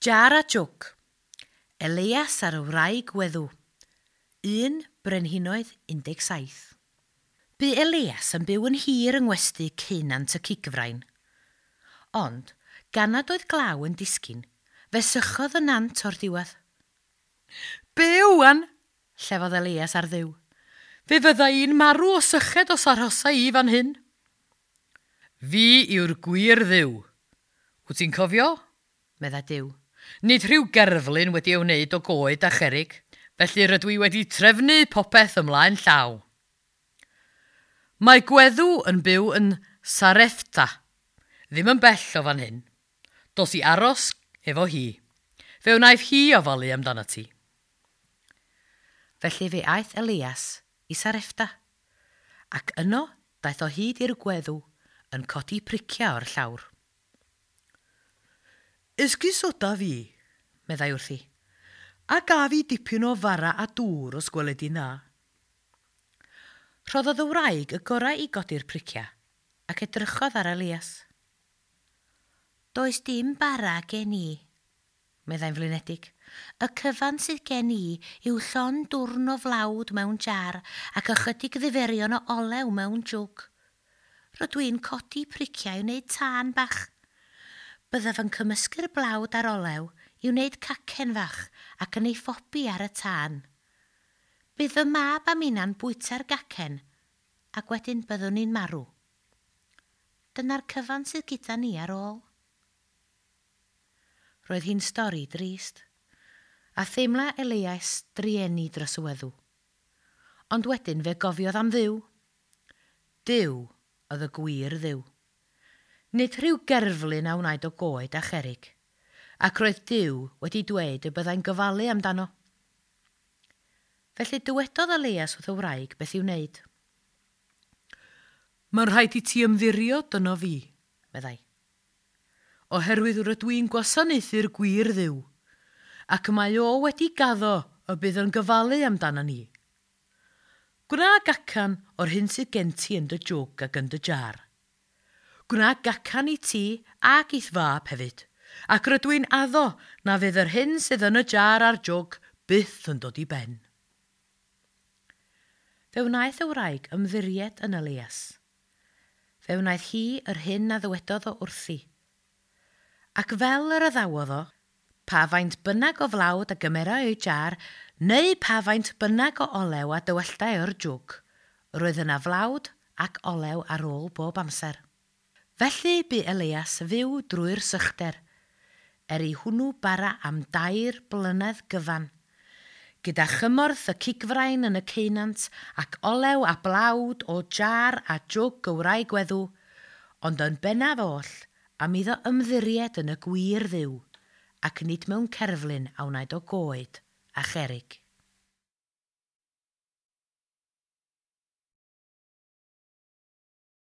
Jar a Jwg, Elias ar y wraig weddw, 1 Brenhinoedd 17. Bu Elias yn byw yn hir yng ngwesty ceunant y cigfrain. Ond, gan nad oedd glaw yn disgyn, fe sychodd y nant o'r diwedd. Be wan? Llefodd Elias ar Dduw. Fe fydda i'n marw o syched os arhosa i fan hyn. Fi yw'r gwir Dduw. Wyt ti'n cofio? Medda Duw. Nid rhyw gerflun wedi ei wneud o goed a cherrig, felly rydw i wedi trefnu popeth ymlaen llaw. Mae gweddw yn byw yn Sarepta, ddim yn bell o fan hyn. Dos i aros efo hi. Fe wnaiff hi ofalu amdanat ti. Felly fe aeth Elias i Sarepta, ac yno daeth o hyd i'r gweddw yn codi priciau o'r llawr. Esgusoda fi, meddai wrthi, a gaf i dipyn o fara a dŵr os gweled di'n dda. Rhoddodd y wraig y gorau i godi'r priciau ac edrychodd ar Elias. Does dim bara gen i, meddai'n flinedig. Y cyfan sydd gen i yw llond dwrn o flawd mewn jar ac ychydig ddiferion o olew mewn jwg. Rydw i'n codi priciau i wneud tân bach. Byddaf yn cymysgu'r blawd a'r olew i wneud cacen fach ac yn ei phobi ar y tân. Bydd fy mab a minna'n bwyta'r gacen ac wedyn byddwn ni'n marw. Dyna'r cyfan sydd gyda ni ar ôl. Roedd hi'n stori drist, a theimla Elias drueni dros y weddw. Ond wedyn fe gofiodd am Dduw. Duw oedd y gwir Dduw. Nid rhyw gerflun a wnaed o goed a cherrig, ac roedd Duw wedi dweud y byddai'n gofalu amdano. Felly dywedodd Elias wrth y wraig beth i'w wneud. Mae'n rhaid i ti ymddiried yno fi, meddai. Oherwydd rydw i'n gwasanaethu'r gwir Dduw, ac mae o wedi gaddo y bydd yn gofalu amdano ni. Gwna gacan o'r hyn sydd gen ti yn dy jwg ac yn dy jar. Gwna gacan i ti ac i'th fab hefyd, ac rydw i'n addo na fydd yr hyn sydd yn y jar a'r jwg byth yn dod i ben. Fe wnaeth y wraig ymddiried yn Elias. Fe wnaeth hi yr hyn a ddywedodd o wrthi. Ac fel yr addawodd o, pa faint bynnag o flawd a gymerai o'i jar, neu pa faint bynnag o olew a dywelltai o'r jwg, roedd yna flawd ac olew ar ôl bob amser. Felly bu Elias fyw drwy'r sychder, er i hwnnw bara am 3 blynedd gyfan, gyda chymorth y cigfrain yn y ceunant ac olew a blawd o jar a jwg y wraig weddw, ond yn bennaf oll am iddo ymddiried yn y gwir Dduw, ac nid mewn cerflun a wnaed o goed a cherrig.